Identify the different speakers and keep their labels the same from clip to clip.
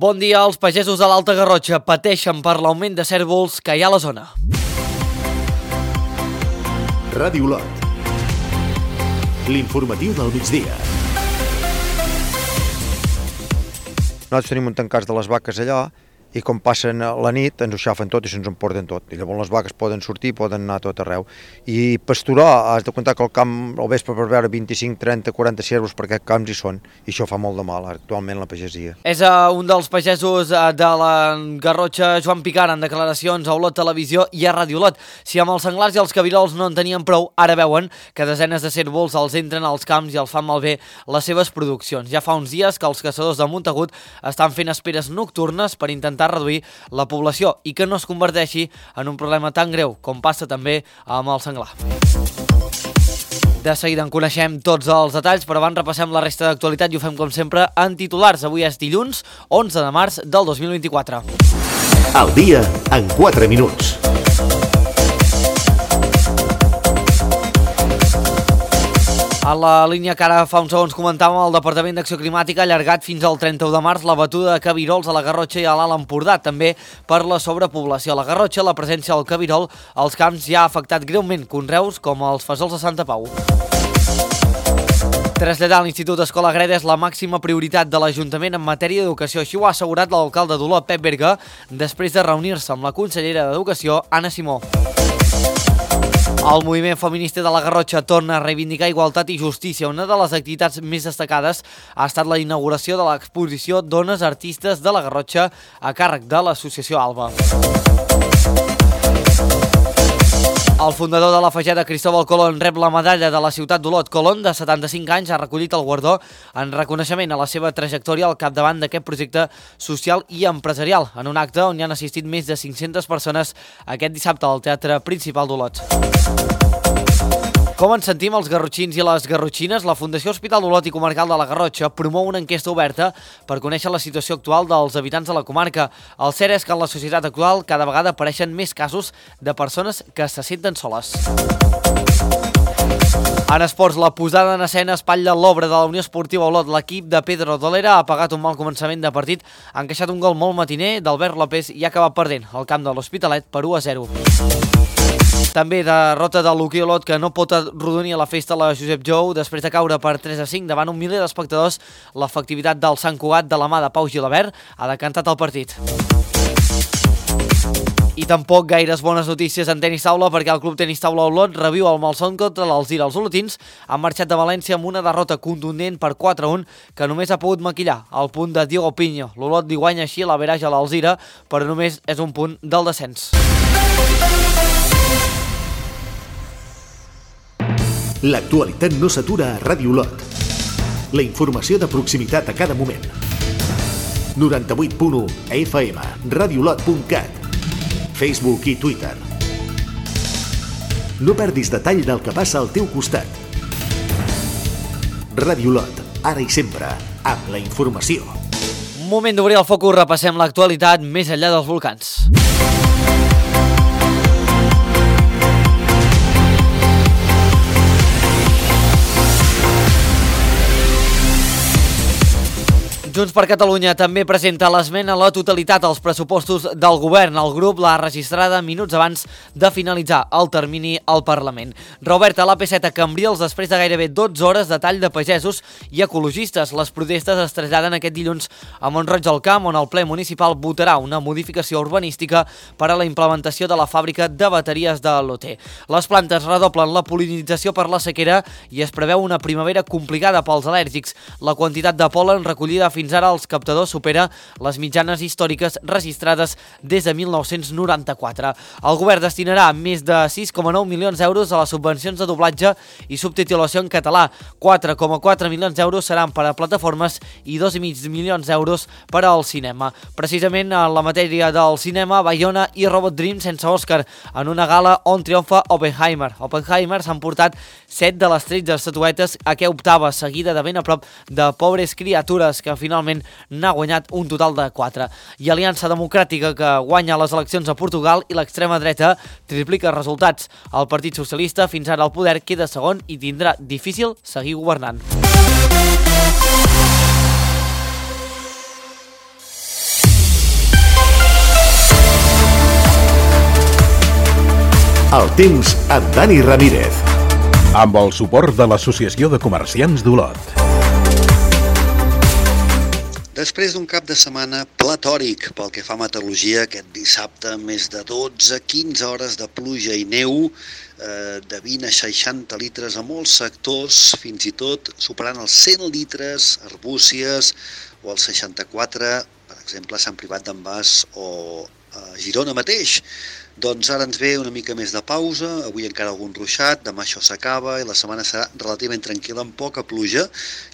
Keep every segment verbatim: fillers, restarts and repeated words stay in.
Speaker 1: Bon dia. Els pagesos de l'Alta Garrotxa pateixen per l'augment de cérvols que hi ha a la zona.
Speaker 2: Ràdio Olot. L'informatiu del migdia.
Speaker 3: Nosaltres tenim un tancats de les vaques allà i com passen la nit ens ho xafen tot i se'ns emporten tot. I llavors les vaques poden sortir, poden anar a tot arreu. I pasturar, has de comptar que al camp al vespre per veure vint-i-cinc, trenta, quaranta cérvols per aquests camps hi són. I això fa molt de mal actualment la pagesia.
Speaker 1: És uh, un dels pagesos uh, de la Garrotxa, Joan Picara, en declaracions a Olot Televisió i a Ràdio Olot. Si amb els senglars i els cabirols no en tenien prou, ara veuen que desenes de cérvols els entren als camps i els fan malbé les seves produccions. Ja fa uns dies que els caçadors de Montagut estan fent esperes nocturnes per intentar reduir la població i que no es converteixi en un problema tan greu com passa també amb el senglar. De seguida en coneixem tots els detalls, però abans repassem la resta d'actualitat i ho fem com sempre en titulars. Avui és dilluns, onze de març del dos mil vint-i-quatre.
Speaker 2: Al dia en quatre minuts.
Speaker 1: A la línia que ara fa uns segons comentàvem, el Departament d'Acció Climàtica ha allargat fins al trenta-u de març la batuda de cabirols a la Garrotxa i a l'Alt Empordà, també per la sobrepoblació. A la Garrotxa, la presència del cabirol als camps ja ha afectat greument conreus com els fesols de Santa Pau. Traslladar a l'Institut Escola Greda és la màxima prioritat de l'Ajuntament en matèria d'educació. Així ho ha assegurat l'alcalde d'Olot, Pep Berga, després de reunir-se amb la consellera d'Educació, Anna Simó. El moviment feminista de la Garrotxa torna a reivindicar igualtat i justícia. Una de les activitats més destacades ha estat la inauguració de l'exposició Dones Artistes de la Garrotxa a càrrec de l'associació Alba. El fundador de la Fageda, Cristóbal Colón, rep la medalla de la ciutat d'Olot. Colón, de setanta-cinc anys, ha recollit el guardó en reconeixement a la seva trajectòria al capdavant d'aquest projecte social i empresarial, en un acte on hi han assistit més de cinc-centes persones aquest dissabte al Teatre Principal d'Olot. Com ens sentim els garrotxins i les garrotxines? La Fundació Hospital d'Olot i Comarcal de la Garrotxa promou una enquesta oberta per conèixer la situació actual dels habitants de la comarca. El cert és que en la societat actual cada vegada apareixen més casos de persones que se senten soles. En esports, la posada en escena espatlla l'obra de la Unió Esportiva Olot. L'equip de Pedro Dolera ha pagat un mal començament de partit, ha encaixat un gol molt matiner d'Albert López i ha acabat perdent al camp de l'Hospitalet per u a zero. També derrota de l'Hoquei Olot, que no pot arrodonir a la festa la Josep Jou després de caure per tres a cinc davant un miler d'espectadors. L'efectivitat del Sant Cugat de la mà de Pau Gilabert ha decantat el partit. I tampoc gaires bones notícies en tenis taula, perquè el Club Tenis Taula Olot reviu el malson contra l'Alzira. Els olotins han marxat de València amb una derrota contundent per quatre a un que només ha pogut maquillar el punt de Diego Piño. L'Olot li guanya així l'average a l'Alzira, però només és un punt del descens.
Speaker 2: L'actualitat no s'atura a Ràdio Olot. La informació de proximitat a cada moment. noranta-vuit punt u F M, radiolot punt cat, Facebook i Twitter. No perdis detall del que passa al teu costat. Ràdio Olot, ara i sempre, amb la informació.
Speaker 1: Moment d'obrir el focus, repassem l'actualitat més enllà dels volcans. Junts per Catalunya també presenta l'esmena a la totalitat als pressupostos del govern. El grup l'ha registrada minuts abans de finalitzar el termini al Parlament. Reoberta l'A P set a Cambrils després de gairebé dotze hores de tall de pagesos i ecologistes. Les protestes es traslladen aquest dilluns a Mont-roig del Camp, on el ple municipal votarà una modificació urbanística per a la implementació de la fàbrica de bateries de l'O T. Les plantes redoblen la pol·linització per la sequera i es preveu una primavera complicada pels al·lèrgics. La quantitat de pol·len recollida fins Fins ara els captadors supera les mitjanes històriques registrades des de mil nou-cents noranta-quatre. El govern destinarà més de sis coma nou milions d'euros a les subvencions de doblatge i subtitulació en català. quatre coma quatre milions d'euros seran per a plataformes i dos coma cinc milions d'euros per al cinema. Precisament en la matèria del cinema, Bayona i Robot Dream sense Òscar, en una gala on triomfa Oppenheimer. Oppenheimer s'han portat set de les tretze estatuetes a què optava, seguida de ben a prop de Pobres Criatures, que finalment finalment n'ha guanyat un total de quatre. I Aliança Democràtica, que guanya les eleccions a Portugal, i l'extrema dreta triplica resultats. El Partit Socialista, fins ara al poder, queda segon i tindrà difícil seguir governant.
Speaker 2: El temps amb Dani Ramírez.
Speaker 4: Amb el suport de l'Associació de Comerciants d'Olot.
Speaker 5: Després d'un cap de setmana platòric pel que fa a meteorologia, aquest dissabte més de dotze a quinze hores de pluja i neu, eh, de vint a seixanta litres a molts sectors, fins i tot superant els cent litres a Arbúcies o els seixanta-quatre, per exemple, a Sant Privat d'en Bas o a Girona mateix. Doncs ara ens ve una mica més de pausa, avui encara algun ruixat, demà això s'acaba i la setmana serà relativament tranquil·la amb poca pluja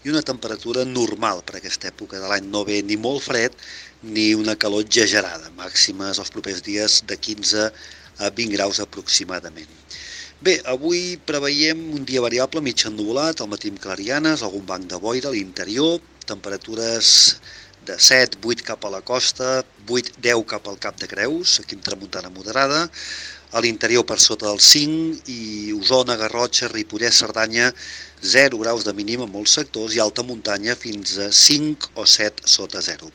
Speaker 5: i una temperatura normal per aquesta època de l'any. No ve ni molt fred ni una calor exagerada, màximes els propers dies de quinze a vint graus aproximadament. Bé, avui preveiem un dia variable mig ennuvolat, al matí amb clarianes, algun banc de boira a l'interior, temperatures de set a vuit cap a la costa, vuit a deu cap al Cap de Creus, aquí amb tramuntana moderada, a l'interior per sota dels cinc i Osona, Garrotxa, Ripollès, Cerdanya, zero graus de mínim en molts sectors i alta muntanya fins a cinc o set sota zero.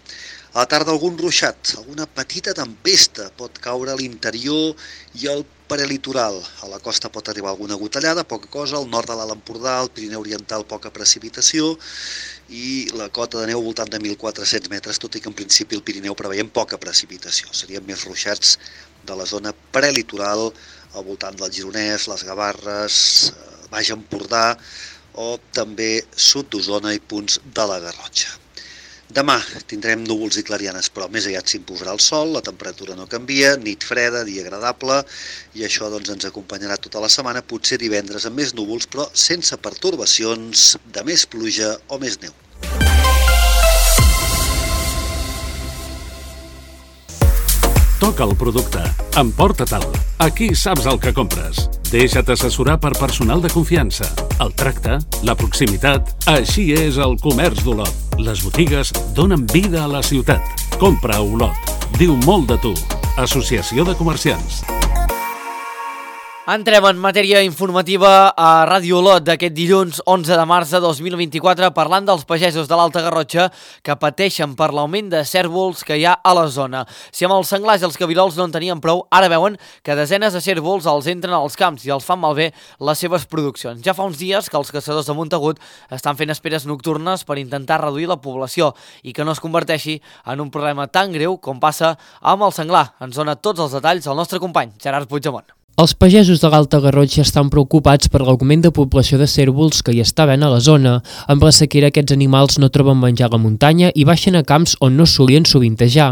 Speaker 5: A la tarda algun ruixat, alguna petita tempesta pot caure a l'interior i al prelitoral. A la costa pot arribar alguna gotellada, poca cosa, al nord de l'Alt Empordà, al Pirineu Oriental poca precipitació i la cota de neu al voltant de mil quatre-cents metres, tot i que en principi el Pirineu preveiem poca precipitació. Serien més ruixats de la zona prelitoral al voltant del Gironès, les Gavarres, Baix Empordà o també sud d'Osona i punts de la Garrotxa. Demà tindrem núvols i clarianes, però més aviat s'imposarà el sol, la temperatura no canvia, nit freda, dia agradable, i això doncs, ens acompanyarà tota la setmana, potser divendres amb més núvols, però sense pertorbacions de més pluja o més neu.
Speaker 6: Toca el producte. Emporta-te'l. Aquí saps el que compres. Deixa't assessorar per personal de confiança. El tracte, la proximitat... Així és el comerç d'Olot. Les botigues donen vida a la ciutat. Compra a Olot. Diu molt de tu. Associació de Comerciants.
Speaker 1: Entrem en matèria informativa a Ràdio Olot d'aquest dilluns onze de març de dos mil vint-i-quatre parlant dels pagesos de l'Alta Garrotxa que pateixen per l'augment de cérvols que hi ha a la zona. Si amb els senglars i els cabirols no en tenien prou, ara veuen que desenes de cérvols els entren als camps i els fan malbé les seves produccions. Ja fa uns dies que els caçadors de Montagut estan fent esperes nocturnes per intentar reduir la població i que no es converteixi en un problema tan greu com passa amb el senglar. Ens dona tots els detalls el nostre company, Gerard Puigdemont.
Speaker 7: Els pagesos de l'Alta Garrotxa estan preocupats per l'augment de població de cérvols que hi està havent a la zona. Amb la sequera aquests animals no troben menjar a la muntanya i baixen a camps on no solien sovintejar.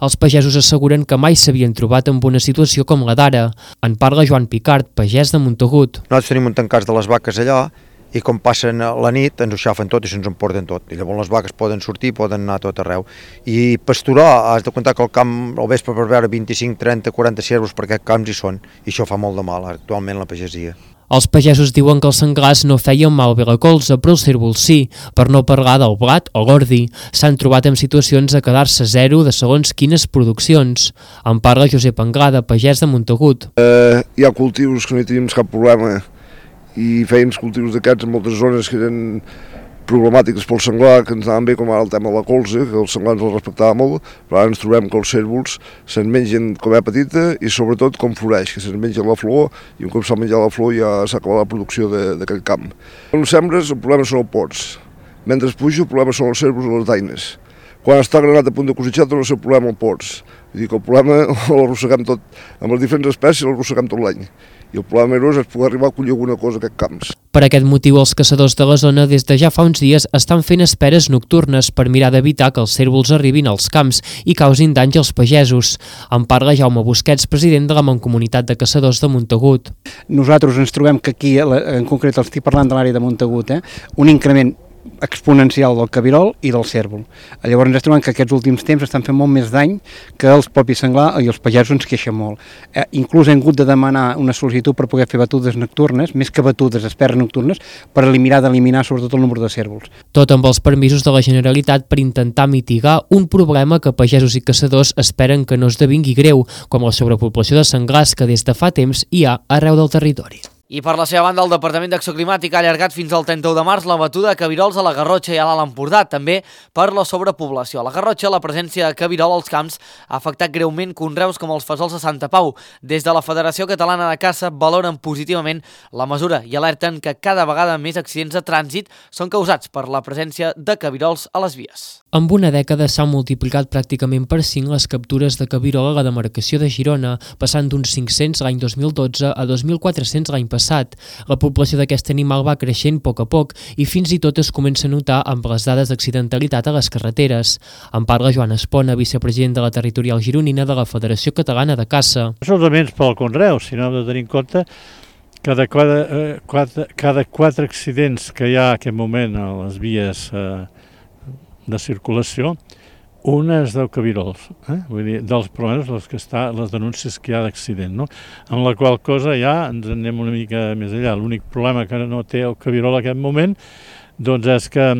Speaker 7: Els pagesos asseguren que mai s'havien trobat en una situació com la d'ara. En parla Joan Picard, pagès de Montagut.
Speaker 3: Nosaltres tenim un tancàs de les vaques allà i com passen la nit ens ho xafen tot i se'ns emporten tot. I llavors les vaques poden sortir, poden anar a tot arreu. I pasturar, has de comptar que el camp al vespre per veure vint-i-cinc, trenta, quaranta cérvols per aquests camps hi són. I això fa molt de mal actualment la pagesia.
Speaker 7: Els pagesos diuen que els senglars no feien malbé la colza, però els cérvols sí, per no parlar del blat o l'ordi. S'han trobat en situacions de quedar-se zero de segons quines produccions. En parla Josep Anglada, pagès de Montagut.
Speaker 8: Eh, hi ha cultius que no hi tenim cap problema i feien cultius d'aquests en moltes zones que eren problemàtiques pel senglar, que ens anaven bé, com ara el tema de la colza, que el senglar ens el respectava molt, però ara ens trobem que els cérvols se'n mengen com és petita i sobretot com floreix, que se'n menja la flor i un cop s'ha menjat la flor ja s'ha acabat la producció d'aquell camp. Quan sembres el problema són els pots, mentre puja el problema són els cérvols i les daines. Quan està granat a punt de cosechar no és el problema els pots, vull dir que el problema l'arrosseguem tot, amb les diferents espècies l'arrosseguem tot l'any. I el problema és és poder arribar a collir alguna cosa a aquests camps.
Speaker 7: Per aquest motiu, els caçadors de la zona des de ja fa uns dies estan fent esperes nocturnes per mirar d'evitar que els cérvols arribin als camps i causin danys als pagesos. En parla Jaume Busquets, president de la Mancomunitat de Caçadors de Montagut.
Speaker 9: Nosaltres ens trobem que aquí, en concret estic parlant de l'àrea de Montagut, eh, un increment exponencial del cabirol i del cérvol. Llavors ens trobem que aquests últims temps estan fent molt més dany que els propis senglar i els pagesos ens queixen molt. Eh, inclús hem hagut de demanar una sol·licitud per poder fer batudes nocturnes, més que batudes, esperes nocturnes, per eliminar d'eliminar sobretot el número de cérvols.
Speaker 7: Tot amb els permisos de la Generalitat per intentar mitigar un problema que pagesos i caçadors esperen que no esdevingui greu, com la sobrepoblació de senglars que des de fa temps hi ha arreu del territori.
Speaker 1: I per la seva banda, el Departament d'Acció Climàtica ha allargat fins al trenta-u de març la batuda de cabirols a la Garrotxa i a l'Alt Empordà, també per la sobrepoblació. A la Garrotxa, la presència de cabirol als camps ha afectat greument conreus com els fesols de Santa Pau. Des de la Federació Catalana de Caça valoren positivament la mesura i alerten que cada vegada més accidents de trànsit són causats per la presència de cabirols a les vies.
Speaker 7: Amb una dècada s'han multiplicat pràcticament per cinc les captures de cabirol a la demarcació de Girona, passant d'uns cinc-cents l'any dos mil dotze a dos mil quatre-cents l'any passat. La població d'aquest animal va creixent a poc a poc i fins i tot es comença a notar amb les dades d'accidentalitat a les carreteres. En parla Joan Espona, vicepresident de la territorial gironina de la Federació Catalana de Caça.
Speaker 10: No solament pel conreu, sinó hem de tenir en compte que de cada, eh, quatre, cada quatre accidents que hi ha en aquest moment a les vies eh, de circulació, una és del cabirols, eh? Vull dir, dels problemes, les, que està, les denúncies que hi ha d'accident, no? Amb la qual cosa ja ens anem una mica més enllà. L'únic problema que no té el cabirol en aquest moment doncs és que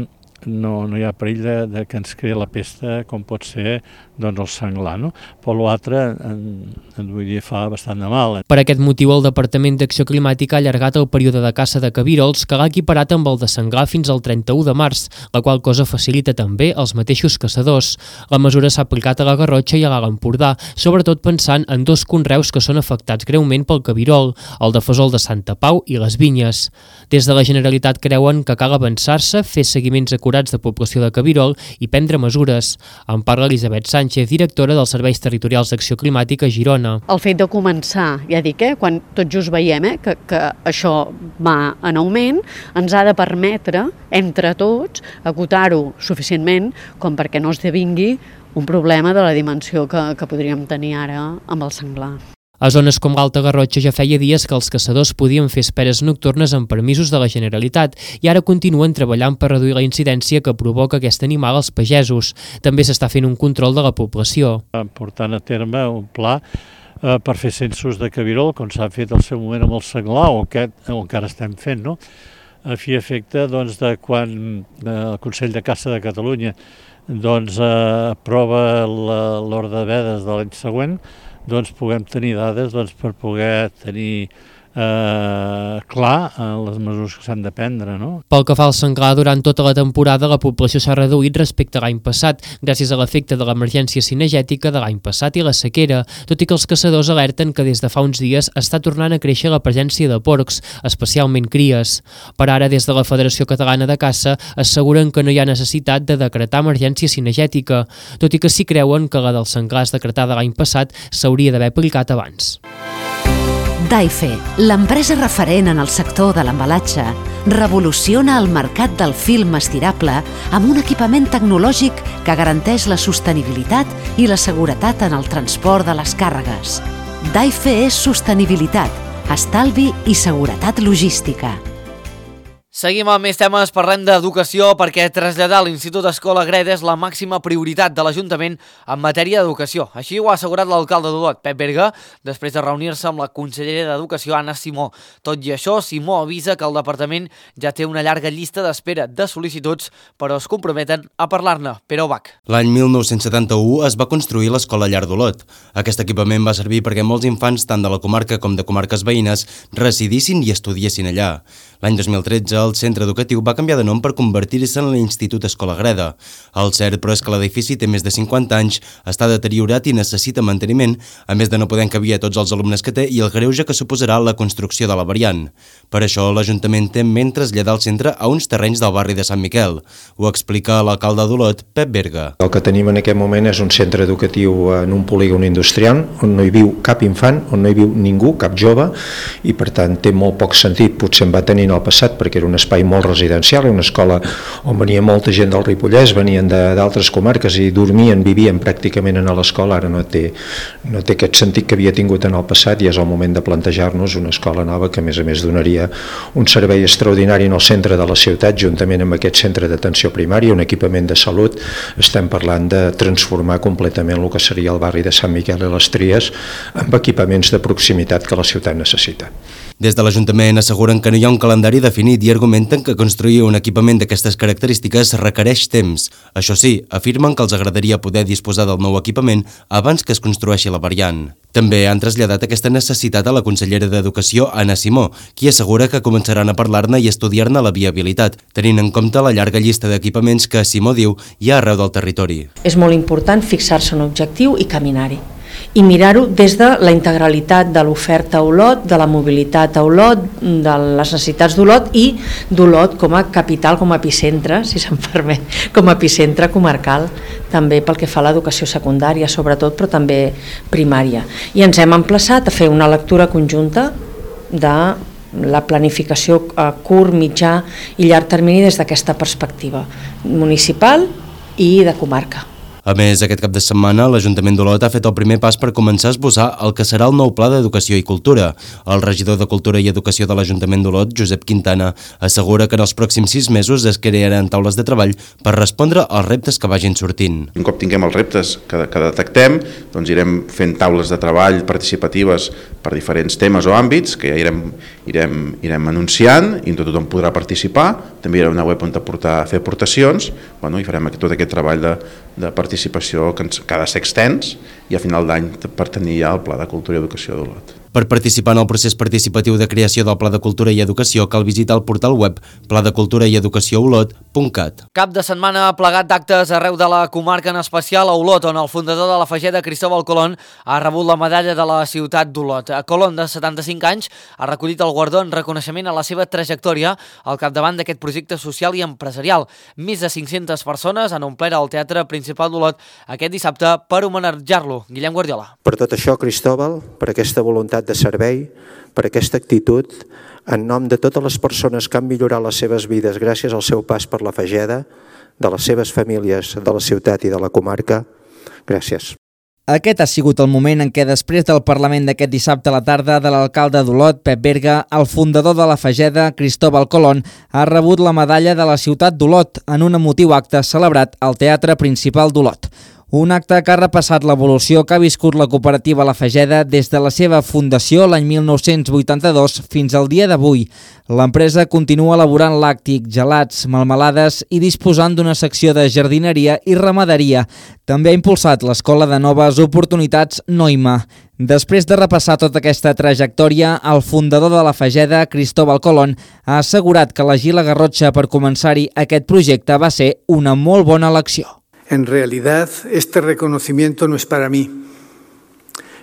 Speaker 10: no, no hi ha perill de, de que ens creï la pesta com pot ser doncs, el senglar, no? Però l'altre, en vull dir, fa bastant de mal.
Speaker 7: Per aquest motiu, el Departament d'Acció Climàtica ha allargat el període de caça de cabirols, que l'ha equiparat amb el de senglar fins al trenta-u de març, la qual cosa facilita també els mateixos caçadors. La mesura s'ha aplicat a la Garrotxa i a l'Alt Empordà, sobretot pensant en dos conreus que són afectats greument pel cabirol, el de fesol de Santa Pau i les vinyes. Des de la Generalitat creuen que cal avançar-se, fer seguiments acurats de població de cabirol i prendre mesures. En parla Elisabet Sánchez, directora dels Serveis Territorials d'Acció Climàtica a Girona.
Speaker 11: El fet de començar, ja dic, eh, quan tot just veiem eh, que, que això va en augment, ens ha de permetre, entre tots, acotar-ho suficientment com perquè no esdevingui un problema de la dimensió que, que podríem tenir ara amb el senglar.
Speaker 7: A zones com l'Alta Garrotxa ja feia dies que els caçadors podien fer esperes nocturnes amb permisos de la Generalitat i ara continuen treballant per reduir la incidència que provoca aquest animal als pagesos. També s'està fent un control de la població.
Speaker 10: Portant a terme un pla eh, per fer censos de cabirol, com s'ha fet al seu moment amb el senglar, o que o encara estem fent, no? A fi efecte doncs, de quan eh, el Consell de Caça de Catalunya doncs, eh, aprova l'ordre de vedes de l'any següent, doncs puguem tenir dades doncs, per poder tenir eh, clar eh, les mesures que s'han de prendre. No?
Speaker 7: Pel que fa al senglar, durant tota la temporada la població s'ha reduït respecte a l'any passat, gràcies a l'efecte de l'emergència cinegètica de l'any passat i la sequera, tot i que els caçadors alerten que des de fa uns dies està tornant a créixer la presència de porcs, especialment cries. Per ara, des de la Federació Catalana de Caça, asseguren que no hi ha necessitat de decretar emergència cinegètica, tot i que sí creuen que la dels senglars decretada l'any passat s'hauria d'haver aplicat abans.
Speaker 12: Daife, l'empresa referent en el sector de l'embalatge, revoluciona el mercat del film estirable amb un equipament tecnològic que garanteix la sostenibilitat i la seguretat en el transport de les càrregues. Daife és sostenibilitat, estalvi i seguretat logística.
Speaker 1: Seguim amb més temes, parlem d'educació perquè traslladar l'Institut Escola Greda és la màxima prioritat de l'Ajuntament en matèria d'educació. Així ho ha assegurat l'alcalde d'Olot, Pep Berga, després de reunir-se amb la consellera d'Educació, Anna Simó. Tot i això, Simó avisa que el departament ja té una llarga llista d'espera de sol·licituds, però es comprometen a parlar-ne. Pere Obac.
Speaker 13: L'any mil nou-cents setanta-u es va construir l'Escola Llar d'Olot. Aquest equipament va servir perquè molts infants, tant de la comarca com de comarques veïnes, residissin i estudiessin allà. L'any dos mil tretze, el centre educatiu va canviar de nom per convertir-se en l'Institut Escola Greda. El cert, però, és que l'edifici té més de cinquanta anys, està deteriorat i necessita manteniment, a més de no poder encabir a tots els alumnes que té i el greuge que suposarà la construcció de la variant. Per això, l'Ajuntament té en ment traslladar el centre a uns terrenys del barri de Sant Miquel. Ho explica l'alcalde d'Olot, Pep Berga.
Speaker 14: El que tenim en aquest moment és un centre educatiu en un polígon industrial, on no hi viu cap infant, on no hi viu ningú, cap jove, i per tant té molt poc sentit, potser en va tenir al passat perquè era un espai molt residencial, una escola on venia molta gent del Ripollès, venien d'altres comarques i dormien, vivien pràcticament a l'escola. Ara no té, no té aquest sentit que havia tingut en el passat i és el moment de plantejar-nos una escola nova que a més a més donaria un servei extraordinari en el centre de la ciutat, juntament amb aquest centre d'atenció primària, un equipament de salut. Estem parlant de transformar completament el que seria el barri de Sant Miquel i les Tries amb equipaments de proximitat que la ciutat necessita.
Speaker 13: Des de l'Ajuntament asseguren que no hi ha un calendari definit i argumenten que construir un equipament d'aquestes característiques requereix temps. Això sí, afirmen que els agradaria poder disposar del nou equipament abans que es construeixi la variant. També han traslladat aquesta necessitat a la consellera d'Educació, Anna Simó, qui assegura que començaran a parlar-ne i estudiar-ne la viabilitat, tenint en compte la llarga llista d'equipaments que, Simó diu, hi ha arreu del territori.
Speaker 15: És molt important fixar-se un objectiu i caminar-hi. I mirar-ho des de la integralitat de l'oferta a Olot, de la mobilitat a Olot, de les necessitats d'Olot i d'Olot com a capital, com a epicentre, si se'm permet, com a epicentre comarcal, també pel que fa a l'educació secundària, sobretot, però també primària. I ens hem emplaçat a fer una lectura conjunta de la planificació a curt, mitjà i llarg termini des d'aquesta perspectiva municipal i de comarca.
Speaker 13: A més, aquest cap de setmana, l'Ajuntament d'Olot ha fet el primer pas per començar a esbossar el que serà el nou Pla d'Educació i Cultura. El regidor de Cultura i Educació de l'Ajuntament d'Olot, Josep Quintana, assegura que en els pròxims sis mesos es crearan taules de treball per respondre als reptes que vagin sortint.
Speaker 16: Un cop tinguem els reptes que, que detectem, doncs irem fent taules de treball participatives per diferents temes o àmbits, que ja irem, irem, irem anunciant i tothom podrà participar. També hi haurà una web on aportar, fer aportacions, bueno, i farem tot aquest treball de, de participació que, ens, que ha de ser extens i a final d'any per tenir ja el Pla de Cultura i Educació d'Olot.
Speaker 13: Per participar en el procés participatiu de creació del Pla de Cultura i Educació cal visitar el portal web pla de cultura i educació olot punt cat.
Speaker 1: Cap de setmana plegat d'actes arreu de la comarca, en especial a Olot, on el fundador de la Fageda, Cristóbal Colón, ha rebut la medalla de la ciutat d'Olot. Colón, de setanta-cinc anys, ha recollit el guardó en reconeixement a la seva trajectòria al capdavant d'aquest projecte social i empresarial. Més de cinc-centes persones han omplert el Teatre Principal d'Olot aquest dissabte per homenatjar-lo. Guillem Guardiola.
Speaker 17: Per tot això, Cristóbal, per aquesta voluntat de servei, per aquesta actitud, en nom de totes les persones que han millorat les seves vides gràcies al seu pas per la Fageda, de les seves famílies, de la ciutat i de la comarca, gràcies.
Speaker 18: Aquest ha sigut el moment en què, després del Parlament d'aquest dissabte a la tarda de l'alcalde d'Olot, Pep Berga, el fundador de la Fageda, Cristóbal Colón, ha rebut la medalla de la ciutat d'Olot en un emotiu acte celebrat al Teatre Principal d'Olot. Un acte que ha repassat l'evolució que ha viscut la cooperativa La Fageda des de la seva fundació l'any mil nou-cents vuitanta-dos fins al dia d'avui. L'empresa continua elaborant làctic, gelats, melmelades i disposant d'una secció de jardineria i ramaderia. També ha impulsat l'Escola de Noves Oportunitats Noima. Després de repassar tota aquesta trajectòria, el fundador de La Fageda, Cristóbal Colón, ha assegurat que elegir la Garrotxa per començar-hi aquest projecte va ser una molt bona elecció.
Speaker 19: En realidad, este reconocimiento no es para mí,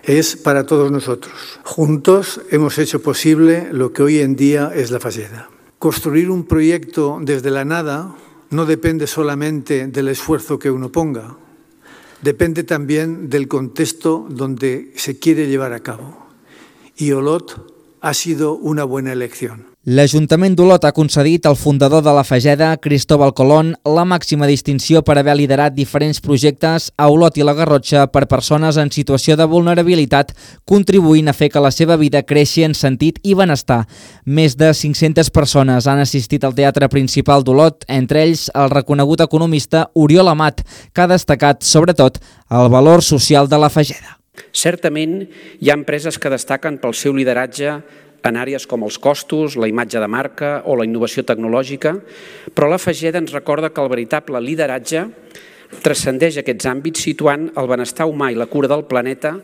Speaker 19: es para todos nosotros. Juntos hemos hecho posible lo que hoy en día es la Fageda. Construir un proyecto desde la nada no depende solamente del esfuerzo que uno ponga, depende también del contexto donde se quiere llevar a cabo. Y Olot ha sido una buena elección.
Speaker 18: L'Ajuntament d'Olot ha concedit al fundador de la Fageda, Cristóbal Colón, la màxima distinció per haver liderat diferents projectes a Olot i la Garrotxa per persones en situació de vulnerabilitat, contribuint a fer que la seva vida creixi en sentit i benestar. Més de cinc-centes persones han assistit al Teatre Principal d'Olot, entre ells el reconegut economista Oriol Amat, que ha destacat, sobretot, el valor social de la Fageda.
Speaker 20: Certament, hi ha empreses que destaquen pel seu lideratge en àrees com els costos, la imatge de marca o la innovació tecnològica, però la Fageda ens recorda que el veritable lideratge transcendeix aquests àmbits situant el benestar humà i la cura del planeta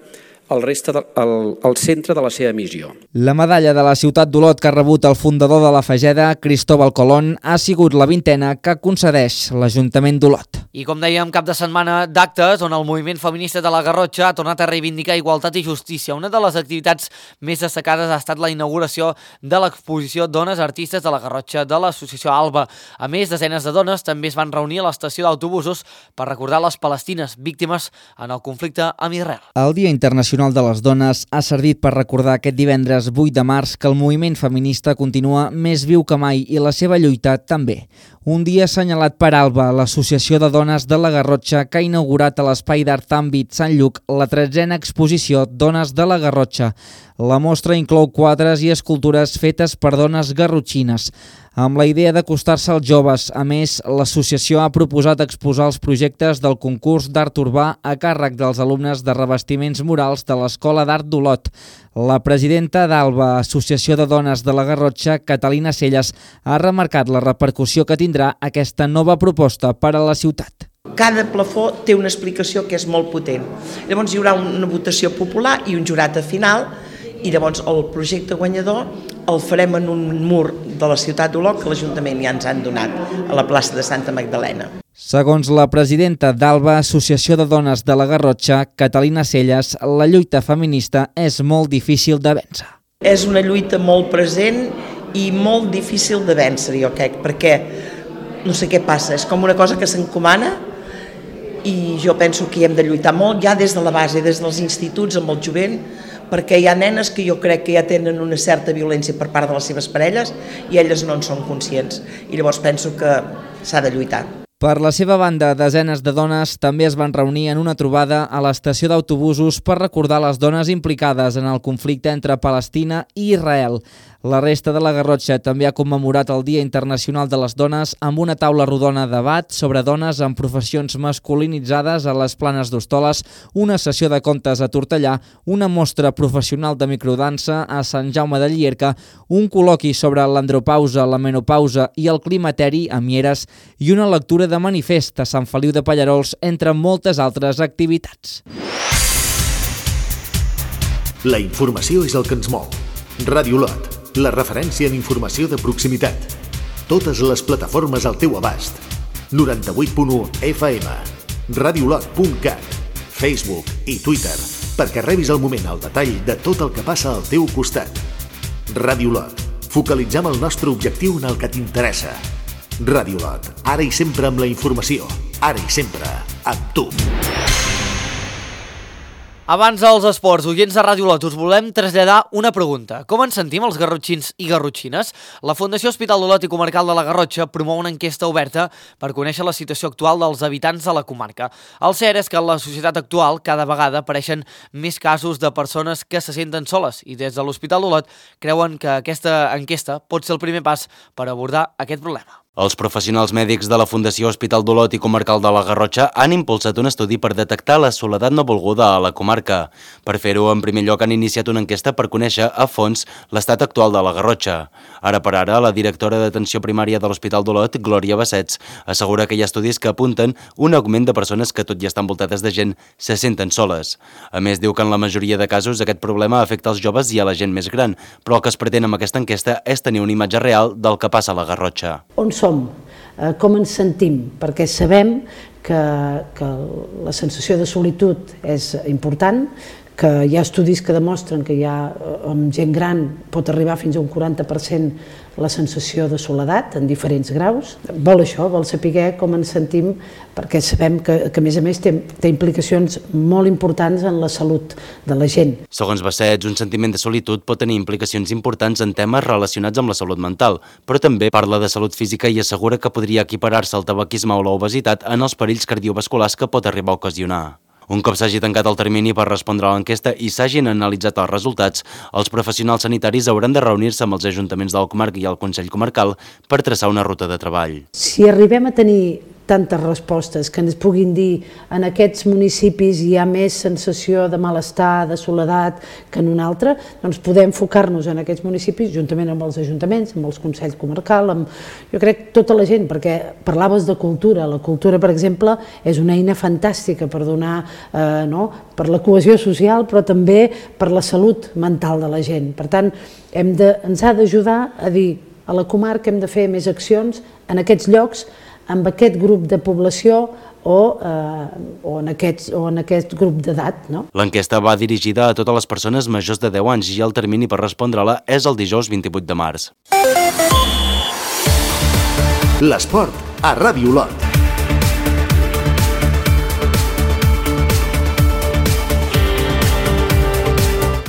Speaker 20: al, reste de, al, al centre de la seva missió.
Speaker 18: La medalla de la ciutat d'Olot que ha rebut el fundador de la Fageda, Cristóbal Colón, ha sigut la vintena que concedeix l'Ajuntament d'Olot.
Speaker 1: I com dèiem, cap de setmana d'actes on el moviment feminista de la Garrotxa ha tornat a reivindicar igualtat i justícia. Una de les activitats més destacades ha estat la inauguració de l'exposició Dones Artistes de la Garrotxa de l'associació Alba. A més, desenes de dones també es van reunir a l'estació d'autobusos per recordar les palestines víctimes en el conflicte amb Israel.
Speaker 18: El Dia Internacional de les Dones ha servit per recordar aquest divendres vuit de març que el moviment feminista continua més viu que mai i la seva lluita també. Un dia assenyalat per Alba, l'associació de dones de la Garrotxa, que ha inaugurat a l'Espai d'Art Àmbit Sant Lluc la tretzena exposició Dones de la Garrotxa. La mostra inclou quadres i escultures fetes per dones garrotxines. amb la idea d'acostar-se als joves. A més, l'associació ha proposat exposar els projectes del concurs d'art urbà a càrrec dels alumnes de revestiments murals de l'Escola d'Art d'Olot. La presidenta d'Alba, Associació de Dones de la Garrotxa, Catalina Celles, ha remarcat la repercussió que tindrà aquesta nova proposta per a la ciutat.
Speaker 21: Cada plafó té una explicació que és molt potent. Llavors hi haurà una votació popular i un jurat a final, i llavors el projecte guanyador el farem en un mur de la ciutat d'Olot que l'Ajuntament ja ens han donat a la plaça de Santa Magdalena.
Speaker 18: Segons la presidenta d'Alba, Associació de Dones de la Garrotxa, Catalina Celles, la lluita feminista és molt difícil de vèncer.
Speaker 21: És una lluita molt present i molt difícil de vèncer, jo crec, perquè no sé què passa, és com una cosa que s'encomana i jo penso que hi hem de lluitar molt, ja des de la base, des dels instituts amb el jovent, perquè hi ha nenes que jo crec que ja tenen una certa violència per part de les seves parelles i elles no en són conscients. I llavors penso que s'ha de lluitar.
Speaker 18: Per la seva banda, desenes de dones també es van reunir en una trobada a l'estació d'autobusos per recordar les dones implicades en el conflicte entre Palestina i Israel. La resta de la Garrotxa també ha commemorat el Dia Internacional de les Dones amb una taula rodona de debat sobre dones en professions masculinitzades a les Planes d'Hostoles, una sessió de contes a Tortellà, una mostra professional de microdansa a Sant Jaume de Llierca, un col·loqui sobre l'andropausa, la menopausa i el climateri a Mieres i una lectura de manifest a Sant Feliu de Pallarols, entre moltes altres activitats.
Speaker 2: La informació és el que ens mou. Ràdio Olot, la referència en informació de proximitat. Totes les plataformes al teu abast. noranta-vuit punt u F M, radiolot punt cat, Facebook i Twitter, perquè rebis al moment el detall de tot el que passa al teu costat. Ràdio Olot, focalitzem el nostre objectiu en el que t'interessa. Ràdio Olot, ara i sempre amb la informació, ara i sempre amb tu.
Speaker 1: Abans dels esports, oients de Ràdio Olot, us volem traslladar una pregunta. Com ens sentim els garrotxins i garrotxines? La Fundació Hospital d'Olot i Comarcal de la Garrotxa promou una enquesta oberta per conèixer la situació actual dels habitants de la comarca. El cert és que en la societat actual cada vegada apareixen més casos de persones que se senten soles i des de l'Hospital d'Olot creuen que aquesta enquesta pot ser el primer pas per abordar aquest problema.
Speaker 13: Els professionals mèdics de la Fundació Hospital d'Olot i Comarcal de la Garrotxa han impulsat un estudi per detectar la soledat no volguda a la comarca. Per fer-ho, en primer lloc han iniciat una enquesta per conèixer a fons l'estat actual de la Garrotxa. Ara per ara, la directora d'atenció primària de l'Hospital d'Olot, Glòria Bassets, assegura que hi ha estudis que apunten un augment de persones que, tot i estar envoltades de gent, se senten soles. A més, diu que en la majoria de casos aquest problema afecta als joves i a la gent més gran, però el que es pretén amb aquesta enquesta és tenir una imatge real del que passa a la Garrotxa.
Speaker 22: On som? Com ens sentim? Perquè sabem que, que la sensació de solitud és important, que hi ha estudis que demostren que hi ha, amb gent gran pot arribar fins a un quaranta per cent la sensació de soledat en diferents graus. Vol això, vol saber com ens sentim, perquè sabem que, que a més a més té, té implicacions molt importants en la salut de la gent.
Speaker 13: Segons Bassets, un sentiment de solitud pot tenir implicacions importants en temes relacionats amb la salut mental, però també parla de salut física i assegura que podria equiparar-se al tabaquisme o l'obesitat en els perills cardiovasculars que pot arribar a ocasionar. Un cop s'hagi tancat el termini per respondre a l'enquesta i s'hagin analitzat els resultats, els professionals sanitaris hauran de reunir-se amb els ajuntaments del comarca i el Consell Comarcal per traçar una ruta de treball.
Speaker 22: Si arribem a tenir tantes respostes que ens puguin dir en aquests municipis hi ha més sensació de malestar, de soledat que en un altre, doncs podem enfocar-nos en aquests municipis juntament amb els ajuntaments, amb els Consells Comarcal, amb, jo crec, tota la gent, perquè parlaves de cultura. La cultura, per exemple, és una eina fantàstica per donar, eh, no?, per la cohesió social, però també per la salut mental de la gent. Per tant, hem de, ens ha d'ajudar a dir a la comarca hem de fer més accions en aquests llocs, amb aquest grup de població o, eh, o, en, aquests, o en aquest grup d'edat. No?
Speaker 13: L'enquesta va dirigida a totes les persones majors de deu anys i el termini per respondre-la és el dijous vint-i-vuit de març.
Speaker 2: L'esport a Ràdio Olot.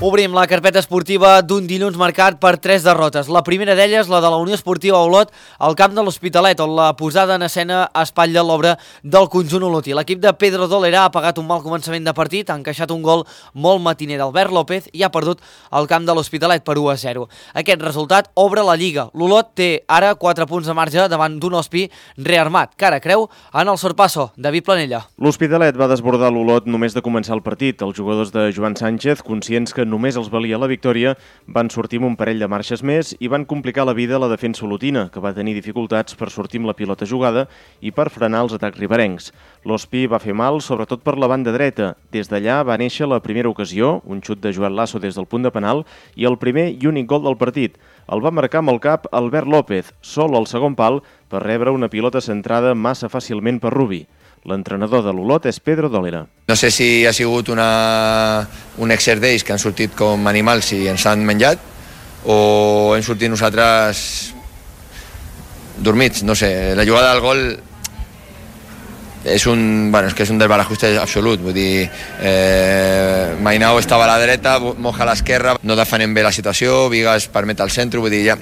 Speaker 1: Obrim la carpeta esportiva d'un dilluns marcat per tres derrotes. La primera d'elles, la de la Unió Esportiva Olot, al camp de l'Hospitalet, on la posada en escena espatlla l'obra del conjunt olotí. L'equip de Pedro Dolera ha pagat un mal començament de partit, ha encaixat un gol molt matiner d'Albert López i ha perdut al camp de l'Hospitalet per u a zero. Aquest resultat obre la Lliga. L'Olot té ara quatre punts de marge davant d'un Hospi rearmat, que ara creu en el sorpasso. David Planella.
Speaker 4: L'Hospitalet va desbordar l'Olot només de començar el partit. Els jugadors de Joan Sánchez, conscients que només els valia la victòria, van sortir amb un parell de marxes més i van complicar la vida a la defensa olotina, que va tenir dificultats per sortir amb la pilota jugada i per frenar els atacs riberencs. L'Hospi va fer mal, sobretot per la banda dreta. Des d'allà va néixer la primera ocasió, un xut de Joel Lasso des del punt de penal i el primer i únic gol del partit. El va marcar amb el cap Albert López, sol al segon pal, per rebre una pilota centrada massa fàcilment per Rubi. L'entrenador de l'Olot és Pedro Dolera.
Speaker 5: No sé si ha sigut una, un excés d'ells que han sortit com animals i ens han menjat, o hem sortit nosaltres dormits, no sé. La jugada del gol és un, bueno, és que és un desbarajuste absolut, vull dir, eh, Mainao estava a la dreta, Moja a l'esquerra, no defenem bé la situació, Vigas permet al centre, vull dir, ja,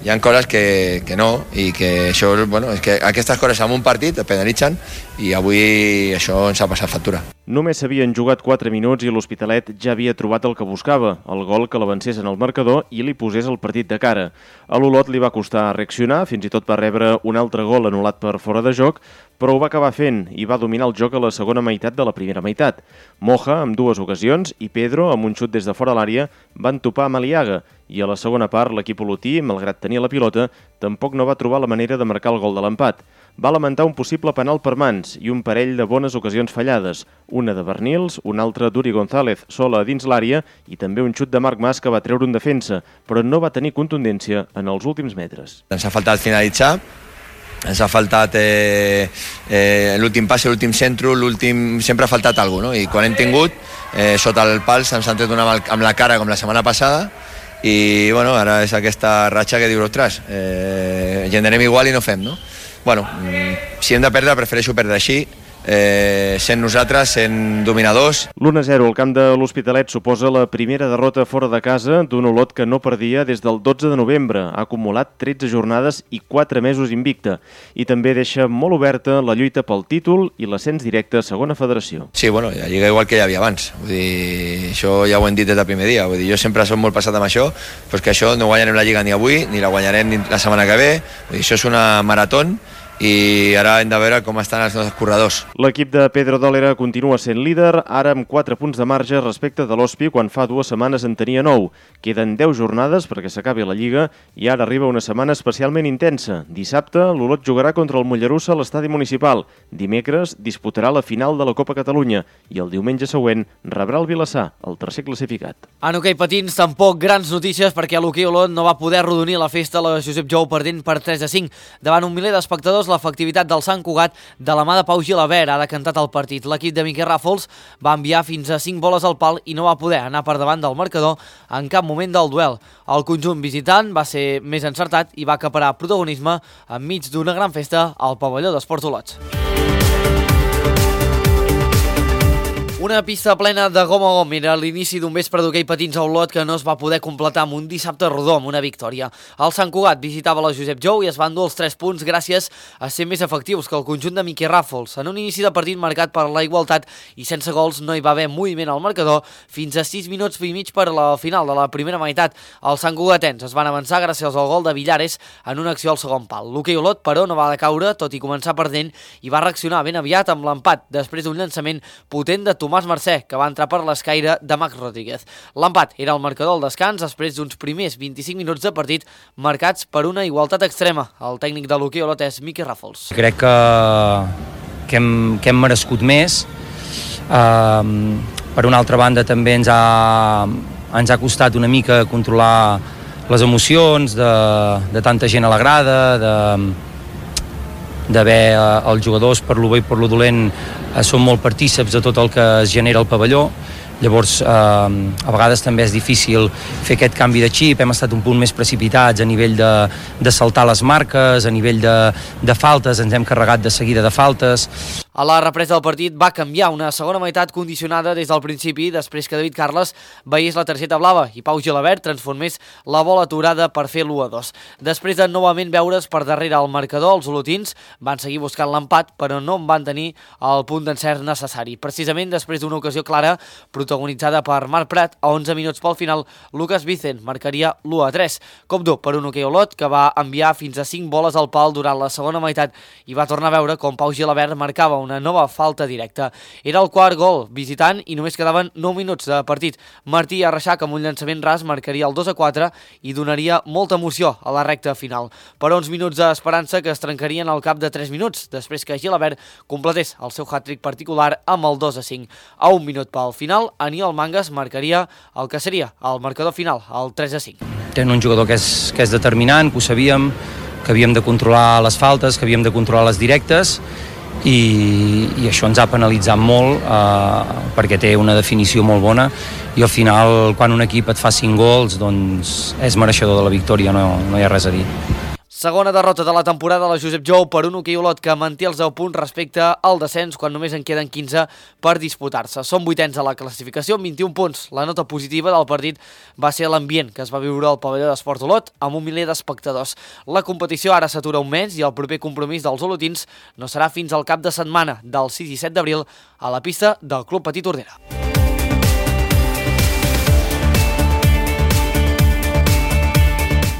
Speaker 5: hi ha coses que, que no, i que això, bueno, és que aquestes coses en un partit et penalitzen i avui això ens ha passat factura.
Speaker 4: Només s'havien jugat quatre minuts i l'Hospitalet ja havia trobat el que buscava, el gol que l'avancés en el marcador i li posés el partit de cara. A l'Olot li va costar reaccionar, fins i tot va rebre un altre gol anul·lat per fora de joc, però ho va acabar fent i va dominar el joc a la segona meitat de la primera meitat. Moja, amb dues ocasions, i Pedro, amb un xut des de fora l'àrea, van topar amb Aliaga, i a la segona part l'equip olotí, malgrat tenir la pilota, tampoc no va trobar la manera de marcar el gol de l'empat. Va lamentar un possible penal per mans i un parell de bones ocasions fallades, una de Bernils, una altra d'Uri González sola dins l'àrea i també un xut de Marc Mas que va treure un defensa, però no va tenir contundència en els últims metres.
Speaker 5: Ens ha faltat finalitzar, ens ha faltat eh, eh, l'últim passe, l'últim centre, l'últim... sempre ha faltat alguna cosa, no? I quan hem tingut, eh, sota el pal se'ns han tret una amb la cara com la setmana passada i bueno, ara és aquesta ratxa que dius, ostres, eh, generem igual i no fem, no? Bueno, si hem de perdre, prefereixo perdre així, eh, sent nosaltres, sent dominadors.
Speaker 4: l'u a zero al camp de l'Hospitalet suposa la primera derrota fora de casa d'un Olot que no perdia des del dotze de novembre. Ha acumulat tretze jornades i quatre mesos invicta. I també deixa molt oberta la lluita pel títol i l'ascens directe a segona federació.
Speaker 5: Sí, bueno, la Lliga igual que hi havia abans. Vull dir, això ja ho hem dit des del primer dia. Vull dir, jo sempre soc molt passat amb això, però és que això no guanyarem la Lliga ni avui, ni la guanyarem ni la setmana que ve. Vull dir, això és una marató i ara hem de veure com estan els nostres corredors.
Speaker 4: L'equip de Pedro Dolera continua sent líder, ara amb quatre punts de marge respecte de l'Hospi, quan fa dues setmanes en tenia nou. Queden deu jornades perquè s'acabi la Lliga i ara arriba una setmana especialment intensa. Dissabte, l'Olot jugarà contra el Mollerussa a l'estadi municipal. Dimecres disputarà la final de la Copa Catalunya i el diumenge següent rebrà el Vilassar, el tercer classificat.
Speaker 1: En hoquei patins, tampoc grans notícies perquè l'hoquei Olot no va poder arrodonir la festa a la Josep Jou perdent per tres a cinc. Davant un miler d'espectadors, l'efectivitat del Sant Cugat de la mà de Pau Gilabert ha decantat el partit. L'equip de Miquel Ràfols va enviar fins a cinc boles al pal i no va poder anar per davant del marcador en cap moment del duel. El conjunt visitant va ser més encertat i va acaparar protagonisme enmig d'una gran festa al pavelló d'Esports Olot. Una pista plena de gom a gom era l'inici d'un vespre d'hoquei patins a Olot que no es va poder completar amb un dissabte rodó amb una victòria. El Sant Cugat visitava la Josep Jou i es van dur els tres punts gràcies a ser més efectius que el conjunt de Miquel Ràfols. En un inici de partit marcat per la igualtat i sense gols no hi va haver moviment al marcador fins a sis minuts i mig per la final de la primera meitat. Els Sant Cugatens es van avançar gràcies al gol de Villares en una acció al segon pal. L'hoquei Olot, però, no va decaure, tot i començar perdent, i va reaccionar ben aviat amb l'empat després d'un llançament potent de Tomàs Mercè, que va entrar per l'escaire de Max Rodríguez. L'empat era el marcador al descans després d'uns primers vint-i-cinc minuts de partit marcats per una igualtat extrema. El tècnic de l'hoquei Olot és Miquel Ràfols.
Speaker 23: Crec que, que, hem, que hem merescut més. Uh, per una altra banda també ens ha, ens ha costat una mica controlar les emocions de, de tanta gent a la grada, de d'haver eh, els jugadors per lo bé i per lo dolent eh, són molt partíceps de tot el que es genera al pavelló. Llavors eh, a vegades també és difícil fer aquest canvi de xip, hem estat un punt més precipitats a nivell de, de saltar les marques, a nivell de, de faltes, ens hem carregat de seguida de faltes.
Speaker 1: A la represa del partit va canviar una segona meitat condicionada des del principi, després que David Carles veiés la targeta blava i Pau Gilabert transformés la bola aturada per fer l'u a dos. Després de novament veure's per darrere el marcador, els olotins van seguir buscant l'empat, però no en van tenir el punt d'encert necessari. Precisament després d'una ocasió clara protagonitzada per Marc Prat, a onze minuts pel final, Lucas Vicent marcaria l'u a tres. Cop dur per un hoquei Olot que va enviar fins a cinc boles al pal durant la segona meitat i va tornar a veure com Pau Gilabert marcava una nova falta directa. Era el quart gol visitant i només quedaven nou minuts de partit. Martí Arreixac amb un llançament ras marcaria el dos a quatre i donaria molta emoció a la recta final. Però uns minuts d'esperança que es trencarien al cap de tres minuts, després que Gilabert completés el seu hat-trick particular amb el dos a cinc. A un minut pel final, Aniol Mangas marcaria el que seria el marcador final, el tres a cinc.
Speaker 23: Tenen un jugador que és, que és determinant, que ho sabíem, que havíem de controlar les faltes, que havíem de controlar les directes, i, i això ens ha penalitzat molt eh, perquè té una definició molt bona i al final quan un equip et fa cinc gols doncs és mereixedor de la victòria, no, no hi ha res a dir.
Speaker 1: Segona derrota de la temporada a la Josep Jou per un hoquei Olot que manté els deu punts respecte al descens quan només en queden quinze per disputar-se. Són vuitens a la classificació amb vint-i-un punts. La nota positiva del partit va ser l'ambient que es va viure al pavelló d'Esport Olot amb un miler d'espectadors. La competició ara s'atura un mes i el proper compromís dels olotins no serà fins al cap de setmana del sis i set d'abril a la pista del Club Petit Tordera.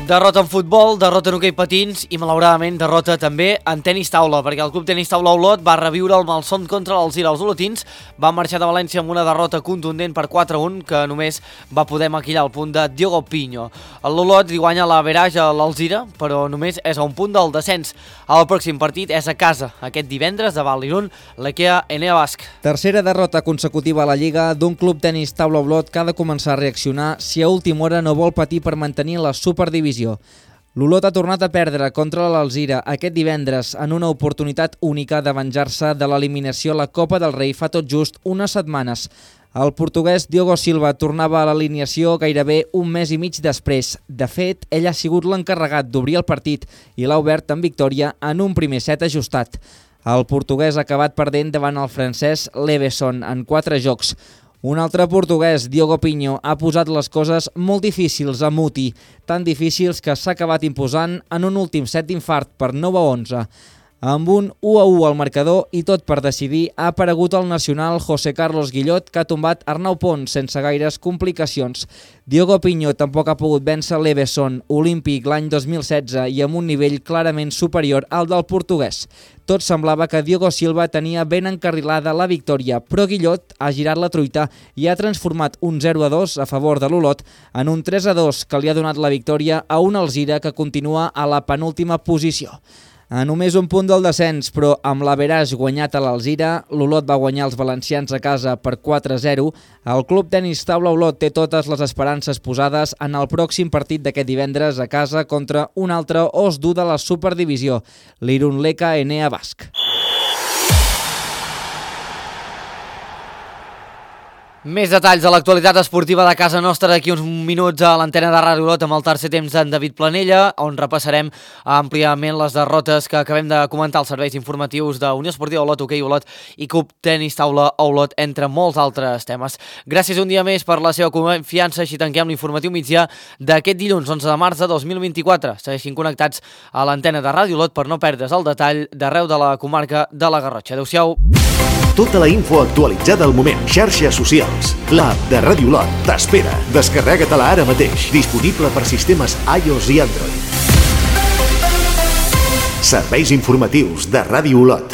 Speaker 1: Derrota en futbol, derrota en hoquei patins i malauradament derrota també en tenis taula, perquè el Club Tenis Taula Olot va reviure el malson contra l'Alzira. Els olotins van marxar de València amb una derrota contundent per quatre a un que només va poder maquillar el punt de Diogo Pinho. L'Olot li guanya l'average a l'Alzira, però només és a un punt del descens. El pròxim partit és a casa, aquest divendres davant l'Irun, l'Ekea Enea Basc.
Speaker 18: Tercera derrota consecutiva a la Lliga d'un Club Tenis Taula Olot que ha de començar a reaccionar si a última hora no vol patir per mantenir la superdivisió. L'Olot ha tornat a perdre contra l'Alzira aquest divendres en una oportunitat única de venjar-se de l'eliminació a la Copa del Rei fa tot just unes setmanes. El portuguès Diogo Silva tornava a l'alineació gairebé un mes i mig després. De fet, ell ha sigut l'encarregat d'obrir el partit i l'ha obert amb victòria en un primer set ajustat. El portuguès ha acabat perdent davant el francès Leveson en quatre jocs. Un altre portuguès, Diogo Pinho, ha posat les coses molt difícils a Muti, tan difícils que s'ha acabat imposant en un últim set d'infart per nou a onze. Amb un u a u al marcador i tot per decidir, ha aparegut el nacional José Carlos Guillot, que ha tombat Arnau Pons sense gaires complicacions. Diogo Pinho tampoc ha pogut vèncer l'Eveson, olímpic l'any dos mil setze i amb un nivell clarament superior al del portuguès. Tot semblava que Diogo Silva tenia ben encarrilada la victòria, però Guillot ha girat la truita i ha transformat un zero a dos a favor de l'Olot en un tres a dos que li ha donat la victòria a un Alzira que continua a la penúltima posició. A només un punt del descens, però amb l'average guanyat a l'Alzira, l'Olot va guanyar els valencians a casa per quatre a zero. El Club Tenis Taula Olot té totes les esperances posades en el pròxim partit d'aquest divendres a casa contra un altre os dur de la Superdivisió, l'Irun Leka Enea Basc.
Speaker 1: Més detalls de l'actualitat esportiva de casa nostra d'aquí uns minuts a l'antena de Ràdio Olot amb el tercer temps d'en David Planella, on repassarem àmpliament les derrotes que acabem de comentar als serveis informatius d'Unió Esportiva Olot, Hoquei Olot i Club Tenis Taula Olot, entre molts altres temes. Gràcies un dia més per la seva confiança, així tanquem l'informatiu migdia d'aquest dilluns onze de març de dos mil vint-i-quatre. Segueixin connectats a l'antena de Ràdio Olot per no perdre's el detall d'arreu de la comarca de la Garrotxa. Adéu-siau.
Speaker 2: Tota la info actualitzada al moment. Xarxes socials. L'app de Ràdio Olot t'espera. Descarrega-te-la ara mateix. Disponible per sistemes iOS i Android. Serveis informatius de Ràdio Olot.